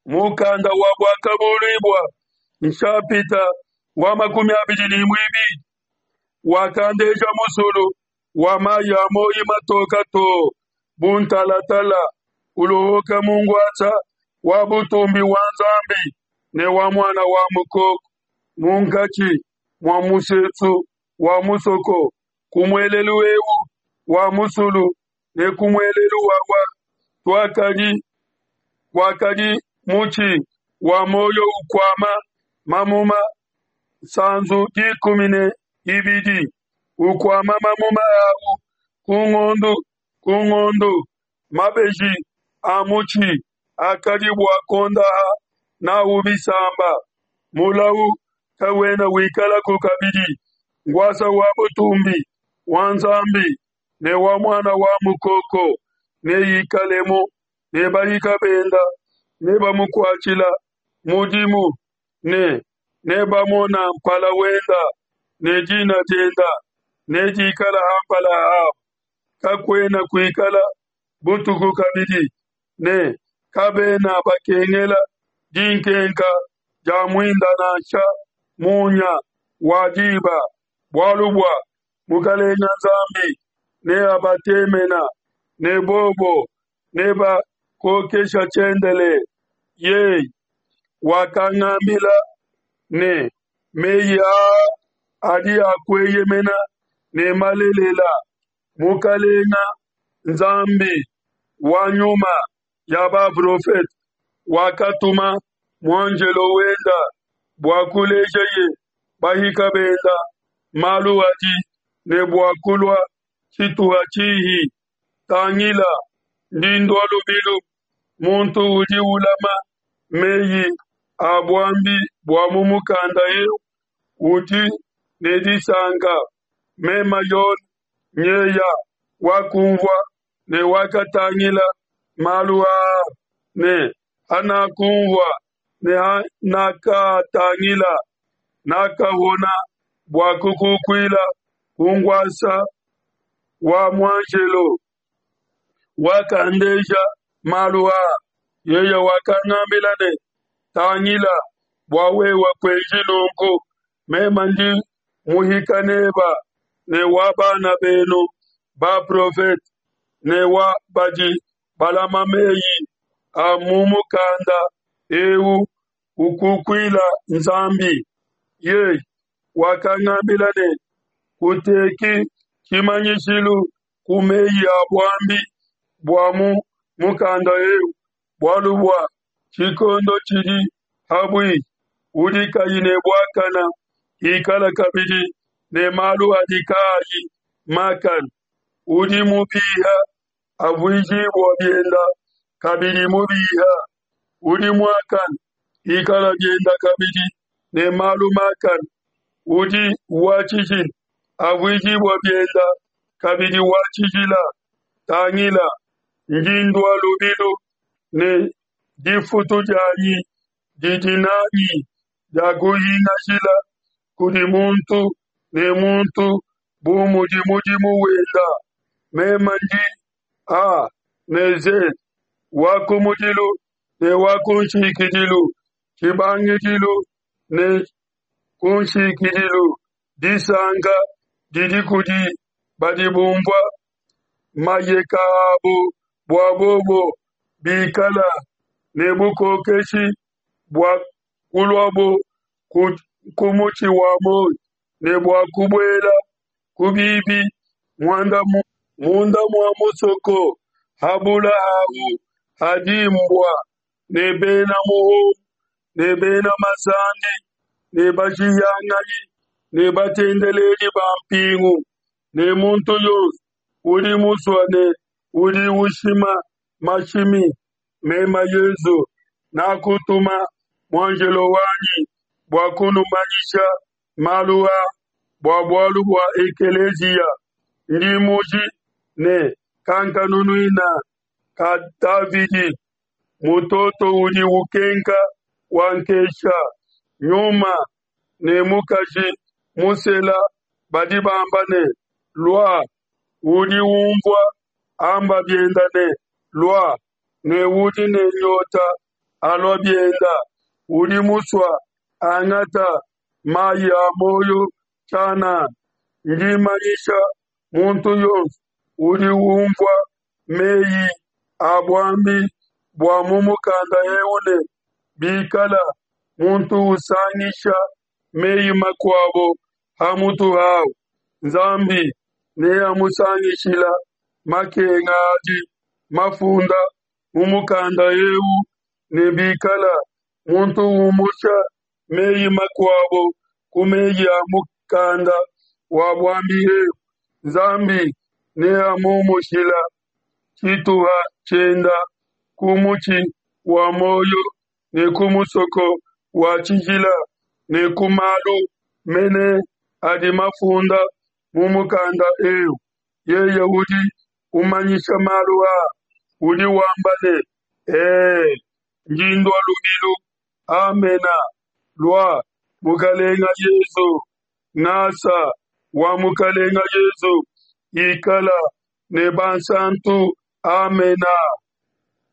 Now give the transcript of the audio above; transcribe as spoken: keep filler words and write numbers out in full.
Mukanda wa Buakabuluibua nshapita wa makumi abidi ne muibidi wakandeja musulu wa mayi a muoyo matoke too bu ntalatala, ulopoka mu nkuasa wa butumbi wa Nzambi ne wa Muana wa Mukoko, munkatshi mua musesu wa musoko, ku muelelu eu wa musulu ne ku muelelu wawa tuakadi kuakadi mutshi wa muoyo ukuama mamuma nsanzu dikumi ne ibidi, ukuama mamuma au ku ngondo ku ngondo. Mabeji a mutshi akadi bua kuondaha n'au bisamba. Mulau kawena wikalaku kabidi. Nkuasa wa butumbi wa Nzambi ne wa Muana wa Mukoko neikalemu, ne bahika bende nebamukuatshile mudimu, ne nebamone mpala wende, ne dina diende nedikale ha mpala habo. Kakuena kuikala butuku kabidi, ne kabena bakengela dinkenka dia muinda nansha munya wa diba, bualu bua Mukelenge Nzambi neabatemene, ne bobo nebakokeshe tshiendelele. Yeye wakangambila ne, Meyi aa adi a kueyemena ne malelela. Mukelenge Nzambi wa nyuma ya baprofete wakatuma muanjelo wende bua kulejeye bahika bende malu adi ne bua kulua tshituha tshihi. Tangila, ndi ndua lubilu. Muntu udi ulama meyi a buambi bua mu mukanda eu udi ne disanka. Meme Yone nyeya wakunvua ne wakatangila malu aa, ne hanakunvua ne hanakatangila, nakahona bua kukukuila ku nkuasa wa muanjelo wakandeja malu aa. Yeye wakangambila ne, Tangila bua wewe kuenji nunku, meme ndi muhika n'ebe ne wa bana benu baprofete ne wa badi balama mei a mu mukanda eu, ukukuile Nzambi. Yeye wakangambila ne, Kuteki tshimanyishilu ku mei a buambi bua mu mukanda eu, bualu bua tshikondo tshidi ha buihi. Udi kayi ne buakane ikala kabidi ne malu adi kayi makane, udi mubiha avuijibue biende kabidi mubiha, udi muakane ikala biende kabidi ne malu makane, udi wa tshijila avuijibue biende kabidi wa tshijila. Tangila, ndi ndua lubilu, ne difutu dianyi didi n'anyi dia kuhingashila kudi muntu ne muntu bu mudi mudimu wende. Meme ndi A ne Z, wa kumudilu ne wa kunshikidilu, tshibangidilu ne kunshikidilu. Disanka didi kudi badi bunvua mayeka abo, bua bobo bikale ne bukokeshi bua kuluabo ku mutshi wa muoyo, ne bua kubuela ku bibi munda mua musoko. Ha bula hahu hadi mbua ne bena muhumbu ne bena masandi ne bashihianganyi ne batendeledi ba mpingu ne muntu yonso udi musue ne udi ushima mashimi. Meme Yesu nakutuma muanjelo wanyi bua kunumanyisha malu a bua bualu bua ekelesia. Ndi muji ne kankanunuina ka Davidi, mutoto udi ukenka wankesha. Nyuma ne mukashi musela badi bamba ne, Lua. Udi unvua amba biende ne, Lua. Ne udi ne nyota alua bienda, udi musua angata mayi a moyo tshianana. Ndi manyisha muntu yonso udi unvua meyi a buambi bua mu mukanda eu ne, bikala muntu usangisha meyi makuabo ha mutu hau, Nzambi neamusangishila makenga adi mafunda mu mukanda eu, ne bikala muntu umusha meyi makuabo ku meyi a mukanda wa buambi ebu, Nzambi neamumushila tshituha tshienda ku mutshi wa muoyo ne ku musoko wa tshijila ne ku malu mene adi mafunda mu mukanda eu. Yeye udi umanyisha malu aa udi wamba ne: E, ndi ndua lubilu. Amena. Lua, Mukalenge Yesu. Ngasa wa Mukalenge Yesu ikala ne bansantu. Amena.